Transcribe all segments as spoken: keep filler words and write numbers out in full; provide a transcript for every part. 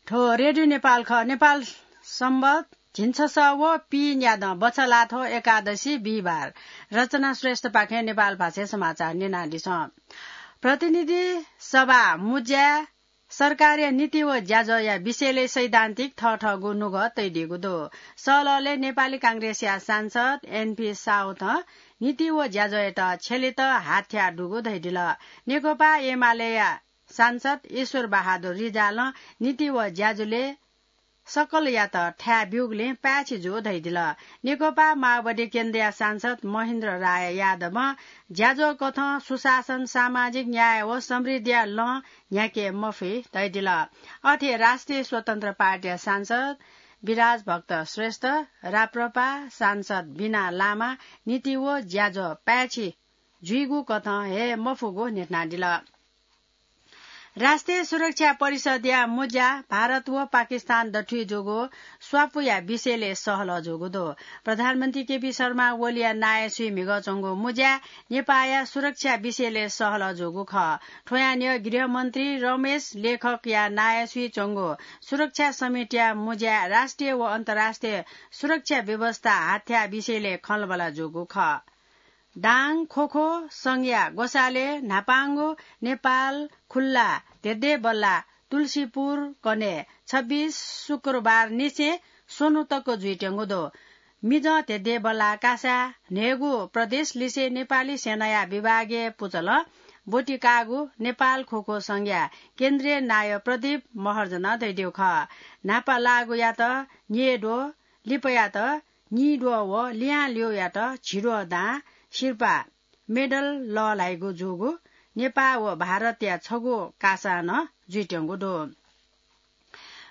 थ्व रेडियो नेपाल खः। नेपाल संवत झिंछसः व पीन्यादँ बछलाथ्व एकादशी बिहिबार। रचना श्रेष्ठपाखें नेपाल भाषाय् समाचार न्यनादिसँ। प्रतिनिधि सभा मुज्याय् सरकारया नीति व ज्याझ्वःया विषयलय् सैद्धान्तिक थःथःगु नुगः तइदीगु दु। सहलहलय् नेपाली कांग्रेसया सांसद एनपी साउथं नीति व ज्याझ्वःयात छ्यलेत हात थ्याः दुगु धयादिल। नेकपा एमालेया सांसद ईश्वर बहादुर रिजालं नीति व ज्याझ्वलय् सकलयात थाय् ब्यूगुलिं पाय्छि जू धयादिल। नेकपा माओवादी केन्द्रया सांसद महेन्द्र राय यादवं ज्याझ्वः कथं सुशासन, सामाजिक न्याय व समृद्धिया लँ न्ह्याके मफइ धयादिल। अथे राष्ट्रिय स्वतन्त्र पार्टीया सांसद विराज भक्त श्रेष्ठ, राप्रपा सांसद बिना लामा नीति व ज्याझ्वः पाय्छि जुइगु कथं हे मफुगु न्ह्यथनादिल। राष्ट्रिय सुरक्षा परिषदया मुज्या भारत व पाकिस्तान दथुइ जूगु स्वापुया विषयलय् सहलह जूगु दु। प्रधानमन्त्री केपी शर्मा ओलीया नायःसुइ म्हिगः च्वंगु मुज्या नेपाःया सुरक्षा विषयलय् सहलह जूगु खः। थ्वयां निगः गृहमन्त्री रमेश लेखकया नायःसुइ च्वंगु सुरक्षा समितिया मुज्या राष्ट्रिय व अन्तर्राष्ट्रिय सुरक्षा व्यवस्था हाथ्याः विषयलय् खँल्हाबल्हा जूगु खः। दाङ ख्वख्वः संघया ग्वसालय् न्हापांगु नेपाल खुल्ला धेधेबल्ला तुलसीपुर कन्हय् छब्बीस शुक्रबार निसें स्वन्हु तक जुइत्यंगु दु। मिजं धेधेबल्ला कासाय् न्हय्गू प्रदेश लिसे नेपाली सेनाया विभागीय पुचलं ब्वति काःगु नेपाल ख्वख्वः संघया केन्द्रीय नायः प्रदीप महर्जनं धयादीगु खः। न्हापा लाःगुयात न्येद्वः, लिपायात नीद्वः व लिहां ल्यूयात झिद्वः दां सिरपाः, मेडल लःल्हाइगु जूगु नेपाः व भारतया छगू कासां नं जुइत्यंगु दु।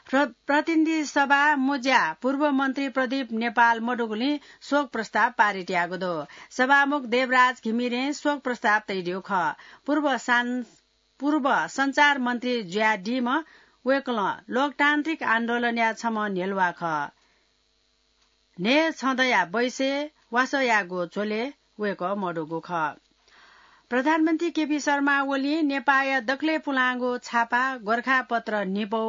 प्र-, प्रतिनिधि सभा मुज्या पूर्व मन्त्री प्रदीप नेपाल मदुगुलिं शोक प्रस्ताव पारित याःगु दु। सभामुख देवराज घिमिरें शोक प्रस्ताव तयादीगु खः। पूर्व सां-, पूर्व सञ्चार मन्त्री जुयादीम्ह वय्कलं लोकतान्त्रिक आन्दोलनया छम्ह न्ह्यलुवा खः। न्हय् छँदँया बैसय् वासः याःगु झ्वलय् वय्कः मदुगु खः। प्रधानमन्त्री केपी शर्मा ओलीं नेपाःया दकलय् पुलांगु छापा गोरखापत्र न्हिपौ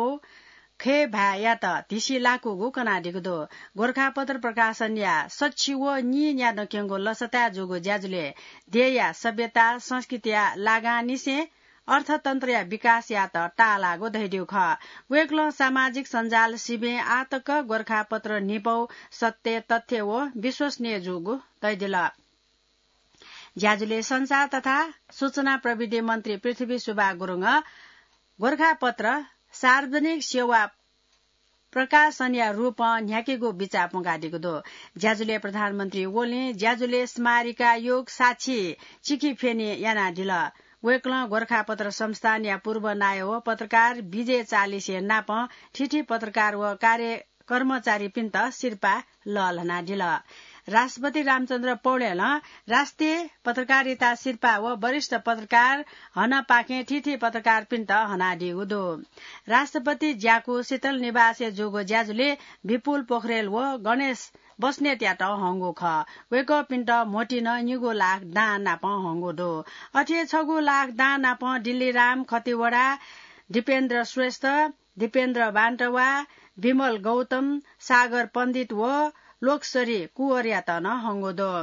खय् भाय्‌यात धिसि लाकूगु कनादीगु दु। गोरखापत्र प्रकाशनया सछि व नीन्यादँ क्यंगु लसताय् जूगु ज्याझ्वलय् देय्‌या सभ्यता, संस्कृतिया लागांनिसें अर्थतन्त्रया विकासयात ताःलाःगु धयादीगु खः। वय्कलं सामाजिक सञ्जाल सिबें आः तक गोरखापत्र न्हिपौ सत्य, तथ्य व विश्वसनीय जूगु धयादिल। ज्याझ्वलय् सञ्चार तथा सूचना प्रविधि मन्त्री पृथ्वी सुब्बा गुरुङं गोरखापत्र सार्वजनिक सेवा प्रकाशनया रूपं न्ह्याकेगु बिचाः प्वंकादीगु दु। ज्याझ्वलय् प्रधानमन्त्री ओलीं ज्याझ्वलय् स्मारिका योग साक्षी चिखिफ्यनि यानादिल। वय्कलं गोरखापत्र संस्थानया पूर्व नायः व पत्रकार विजय चालिसे नापं थीथी पत्रकार व कार्य कर्मचारीपिन्त सिरपाः लःल्हानादिल। राष्ट्रपति रामचन्द्र पौडेलं राष्ट्रिय पत्रकारिता सिरपाः व वरिष्ठ पत्रकार हनपाखें थीथी पत्रकारपिन्त हनादीगु दु। राष्ट्रपति ज्याकू शीतल निवासय् जूगु ज्याझ्वलय् विपुल पोखरेल व गणेश बस्नेतयात हंगु खः। वय्कःपिन्त म्होतिं निगू लाख दां नाप हंगु दु। अथे छगू लाख दां नाप दिल्लीराम खतिवडा, दिपेन्द्र श्रेष्ठ, दिपेन्द्र बान्तवा, विमल गौतम, सागर पण्डित व लोकसरी कुँवरयात नं हंगु दु।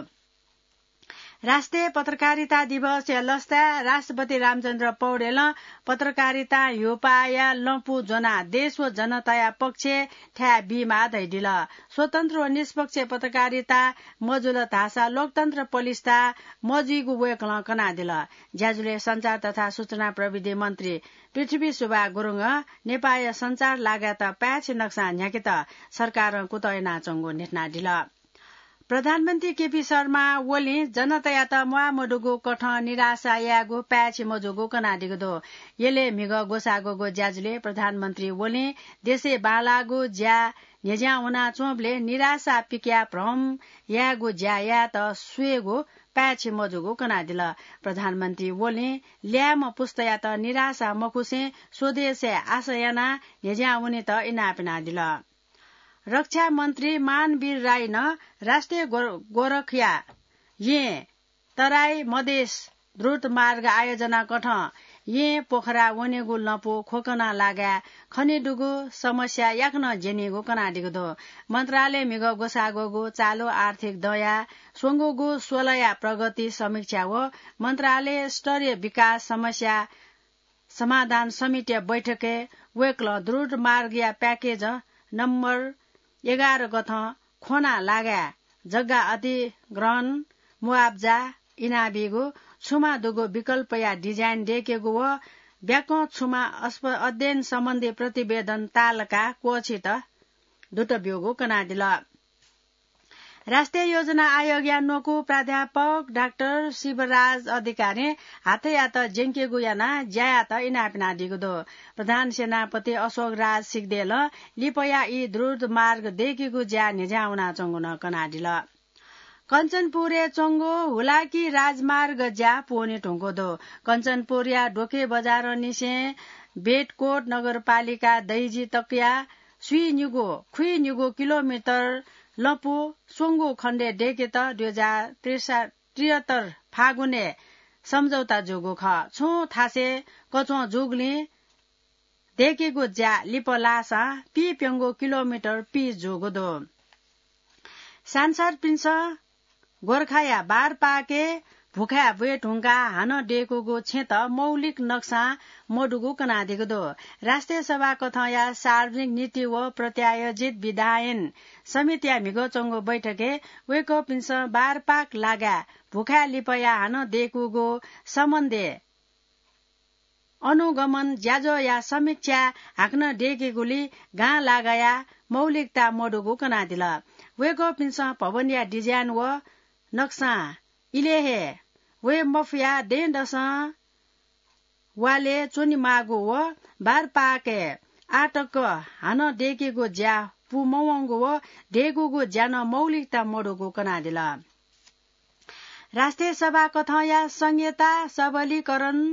राष्ट्रिय पत्रकारिता दिवसया लसताय् राष्ट्रपति रामचन्द्र पौडेलं पत्रकारितां ह्यूपाःया लँपु ज्वनाः देश व जनताया पक्षय् थाय् बीमाः धयादिल। स्वतन्त्र व निष्पक्ष पत्रकारिता मजुल धाःसा लोकतन्त्र पलिस्था मजुइगु वय्कलं कनादिल। ज्याझ्वलय् सञ्चार तथा सूचना प्रविधि मन्त्री पृथ्वी सुब्बा गुरुङं नेपाःया सञ्चार लागाय्‌त पाय्‌छि नक्सां न्ह्याकेत सरकारं कुतः यानाच्वंगु न्ह्यथनादिल। प्रधानमन्त्री केपी शर्मा ओलीं जनतायात म्वाःमदुगु कथं निराशा यायेगु पाय्‌छि मजूगु कनादीगु दु। यलय् म्हिगः ग्वसाः ग्वःगु ज्याझ्वलय् प्रधानमन्त्री ओलीं देशय् बांलाःगु ज्या न्ह्यज्यां वनाच्वंबलय् निराशा पिकयाः भ्रम यायेगु ज्या यायेत स्वयेगु पाय्‌छि मजूगु कनादिल। प्रधानमन्त्री ओलीं ल्याय्‌म्ह पुस्तायात निराशा मखुसें स्वदेशय् आशा यानाः न्ह्यज्यां वनेत इनाप यानादिल। रक्षा मन्त्री मानवीर राईनं राष्ट्रिय गोर-, गोरखया येँ तराई मधेस द्रुत मार्ग आयोजना कथं येँ पोखरा वनेगु लँपु ख्वकना लागाय् खनेदुगु समस्या याकनं ज्यनीगु कनादीगु दु। मन्त्रालय म्हिगः ग्वसाः ग्वःगु चालु आर्थिक दँया स्वंगूगु स्वलया प्रगति समीक्षा व मन्त्रालय स्तरीय विकास समस्या समाधान समितिया बैठकय् वय्कलं द्रुत मार्गया प्याकेज नम्बर एघार कथं ख्वना लागाय् जग्गा अधिग्रहण, मुआब्जा इनाबीगु, छुमा दुगु विकल्पया डिजाइन दय्केगु व ब्याकं छुमा अस्प-, अध्ययन सम्बन्धी प्रतिवेदन तालका क्वःछित दुत ब्यूगु कनादिल। राष्ट्रिय योजना आयोगया न्वकू प्राध्यापक डाक्टर शिवराज अधिकारीं हाथैयात ज्यंकेगु यानाः ज्यायात इनाप यानादीगु दु। प्रधान सेनापति अशोक राज सिग्देलं लिपया ई द्रुत मार्ग दय्केगु ज्या न्हिज्यां वनाच्वंगु नं कनादिल। कञ्चनपुरय् च्वंगु हुलाकी राजमार्ग ज्या पूवने धुंकूगु दु। कञ्चनपुरया डोके बजारंनिसें बेटकोट नगरपालिका दैजी तकया स्वीनिगू, खुइनिगू किलोमिटर लँपु स्वंगू खण्डय् दय्केत दुई हजार त्रिसा-, त्रिहत्तर फागुनय् सम्झौता जूगु खः। छुं थासय् कच्वं जूगुलिं दय्केगु ज्या लिपा लाःसां पीप्यंगू किलोमिटर पीच जूगु दु। सांसदपिन्सं गोर्खाया बारपाके भुखाय् ब्वये धुंकाः हानं दय्कूगु छेँत मौलिक नक्सां मदुगु कनादीगु दु। राष्ट्रिय सभा कथंया सार्वजनिक नीति व प्रत्यायोजित विधायन समितिया म्हिगः च्वंगु बैठकय् वय्कःपिन्सं बारपाक लागाय् भुखाय् लिपया हानं दय्कूगु सम्बन्धय् अनुगमन ज्याझ्वःया समीक्षा हाकनं दय्केगुली गां लागाया मौलिकता मदुगु कनादिल। वय्कःपिन्सं भवनया डिजाइन व नक्सां इलय् हे वये मफुया दँय्दसं वालय् च्वनेमाःगु व बारपाकय् आःतक हानं दय्केगु ज्या पूमवंगु व दय्कूगु ज्या नं मौलिकता मदुगु कनादिल। राष्ट्रिय सभा कथंया संघीयता सबलीकरण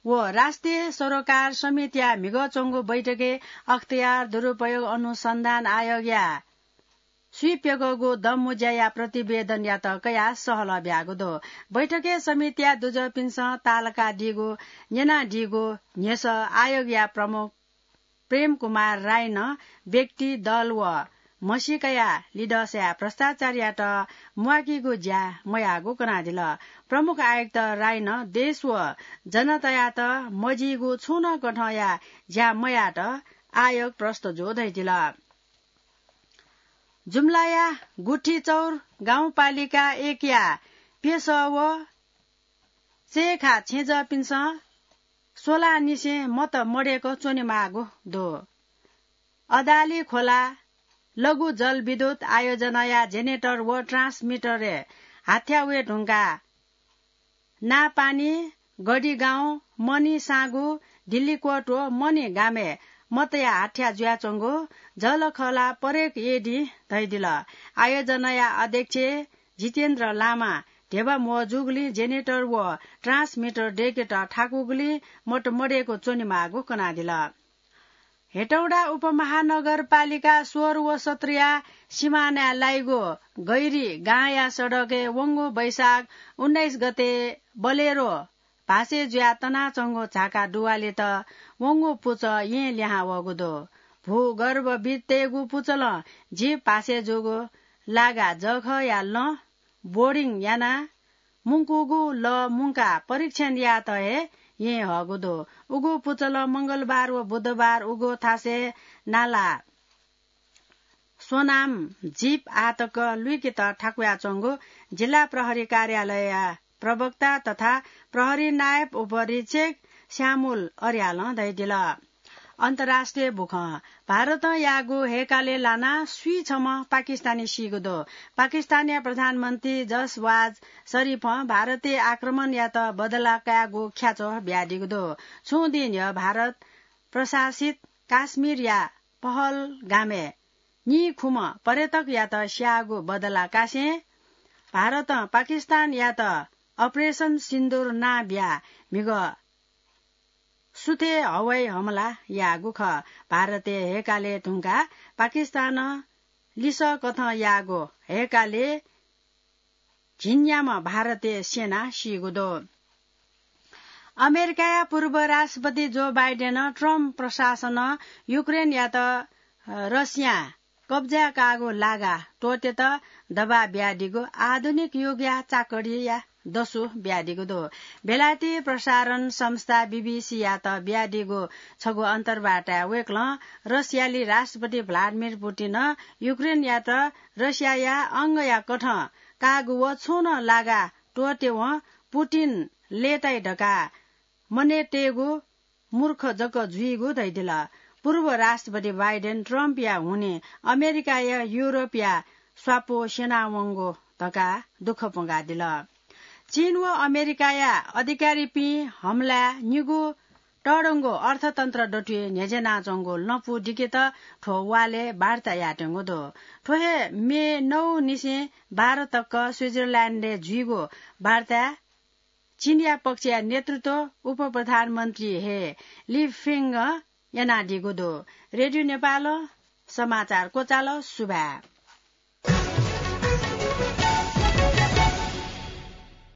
व राष्ट्रिय सरोकार समितिया म्हिगः च्वंगु बैठकय् अख्तियार दुरुपयोग अनुसन्धान आयोगया स्वीप्यगःगु दँमुँज्याया प्रतिवेदनयात कयाः सहलह ब्याःगु दु। बैठकय् समितिया दुजःपिन्सं तालकादीगु, न्यनादीगु न्ह्यसः आयोगया प्रमुख प्रेम कुमार राईनं व्यक्ति, दल व म्हसीकाया लिधंसाय् भ्रष्टाचारयात म्वाकीगु ज्या मयाःगु कनादिल। प्रमुख आयुक्त राईनं देश व जनतायात मजिइगु छुं नं कथंया ज्या मयात आयोग प्रष्ट जू धयादिल। जुम्लाया गुठीचौर गाउँपालिका एकया प्यसः व चय्खा छेँजःपिन्सं स्वलांनिसें मत मदय्क च्वनेमाःगु दु। अदाली खोला लघु जलविद्युत आयोजनाया जेनेटर व ट्रान्समिटरय् हाथ्या वये धुंकाः नापानी, गढीगाउँ, मणि साँगु, दिल्लीकोट व मणि गामय् मतया हाथ्या जुयाच्वंगु जलखला परेक एडी धयादिल। आयोजनाया अध्यक्ष जितेन्द्र लामा ध्यबा म्वःजूगुलिं जेनेटर व ट्रान्समिटर दय्केत थाकूगुलिं मत मदय्क च्वनेमाःगु कनादिल। हेटौडा उपमहानगरपालिका सोह्र व सत्रया सिमानाय् लाइगु गैरी गांया सडकय् वंगु वैशाख उन्नाइस गते बलेरो भासे जुयाः तनाच्वंगु झाका दुवालेत वंगु पुचः येँ लिहां वःगु दु। भूगर्भविदतय्गु पुचलं जीप भासे जूगु लागा जःखःया लँ बोरिङ यानाः मुंकूगु लः मुंकाः परीक्षण यायेत हे येँ हःगु दु। उगु पुचलं मंगलबार व बुधबार उगु थासय् नाला स्वनाम जीप आःतक लुइकेत थाकुयाच्वंगु जिल्ला प्रहरी कार्यालयया प्रवक्ता तथा प्रहरी नायब उपरीक्षक श्यामुल अर्यालं धयादिल। अन्तर्राष्ट्रिय बुखँ। भारतं याःगु हैकाले लानाः स्वीछम्ह पाकिस्तानी सीगु दु। पाकिस्तानया प्रधानमन्त्री जसवाज शरीफं भारतय् आक्रमणयात बदला कायेगु ख्याच्वः बियादीगु दु। छुं दिं न्ह्यः भारत प्रशासित काश्मीरया पहलगामय् नीखुम्ह पर्यटकयात स्याःगु बदला कासें भारतं पाकिस्तानयात Operation Sindoor नां बियाः म्हिगः सुथय् हवाई हमला याःगु खः। भारतय् हैकाले धुंकाः पाकिस्तानं लिसः कथं याःगु हैकाले झिंन्याम्ह भारतीय सेना सीगु दु। अमेरिकाया पूर्व राष्ट्रपति जो बाइडेनं ट्रम्प प्रशासनं युक्रेनयात रसियां कब्जा काःगु लागा त्वःतेत दबाब बियादीगु आधुनिक युगया चाकरीया दसु बियादीगु दु। बेलायती प्रसारण संस्था बीबीसीयात बियादीगु छगू अन्तर्वार्ताय् वय्कलं रसियाली राष्ट्रपति भ्लादिमिर पुतिनं युक्रेनयात रसियाया अंगया कथं काःगु व छुं नं लागा त्वःतेवं पुतिन लय्ताइ धकाः मनय्तयेगु मूर्ख जक जुइगु धयादिल। पूर्व राष्ट्रपति बाइडेन ट्रम्पया हुनिं अमेरिकाया युरोपया स्वापू स्यनावंगु धकाः दुःख पुंकादिल। चीन व अमेरिकाया अधिकारीपिं हमलाय् निगू तःधंगु अर्थतन्त्र दथुइ न्ह्यज्यानाच्वंगु लँपु दिकेत थ्व वालय् वार्ता यायेत्यंगु दु। थ्व हे मे नौ निसें बाह्र तक स्विजरल्याण्डय् जुइगु वार्ताय् चीनया पक्षया नेतृत्व उपप्रधानमन्त्री हे लि फेङ्गं यानादीगु दु। रेडियो नेपालं समाचार क्वचाल। सुभाय्।